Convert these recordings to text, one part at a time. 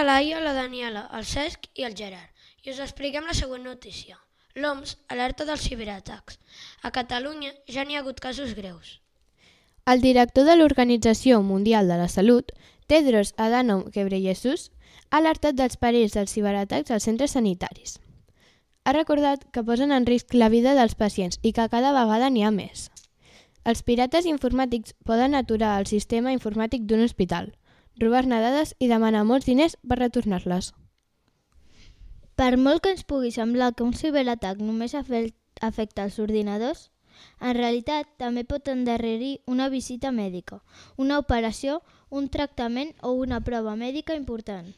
la Laia, la Daniela, el Cesc i el Gerard i us expliquem la següent notícia. L'OMS alerta dels ciberatacs. A Catalunya ja n'hi ha hagut casos greus. El director de l'Organització Mundial de la Salut, Tedros Adhanom Ghebreyesus, ha alertat dels perills dels ciberatacs als centres sanitaris. Ha recordat que posen en risc la vida dels pacients i que cada vegada n'hi ha més. Els pirates informàtics poden aturar el sistema informàtic d'un hospital, robar-ne dades i demanar molts diners per retornar-les. Per molt que ens pugui semblar que un ciberatac només afecta els ordinadors, en realitat també pot endarrerir una visita mèdica, una operació, un tractament o una prova mèdica important.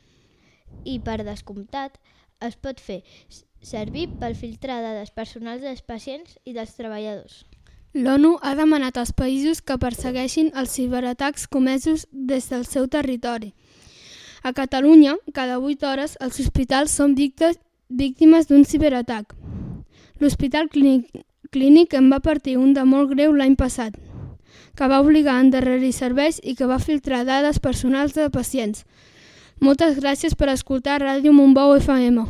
I, per descomptat, es pot fer servir per filtrar dades personals dels pacients i dels treballadors. L'ONU ha demanat als països que persegueixin els ciberatacs comesos des del seu territori. A Catalunya, cada 8 hores, els hospitals són víctimes d'un ciberatac. L'Hospital Clínic en va partir un de molt greu l'any passat, que va obligar a endarrerir serveis i que va filtrar dades personals de pacients. Moltes gràcies per escoltar Ràdio Montbau FM.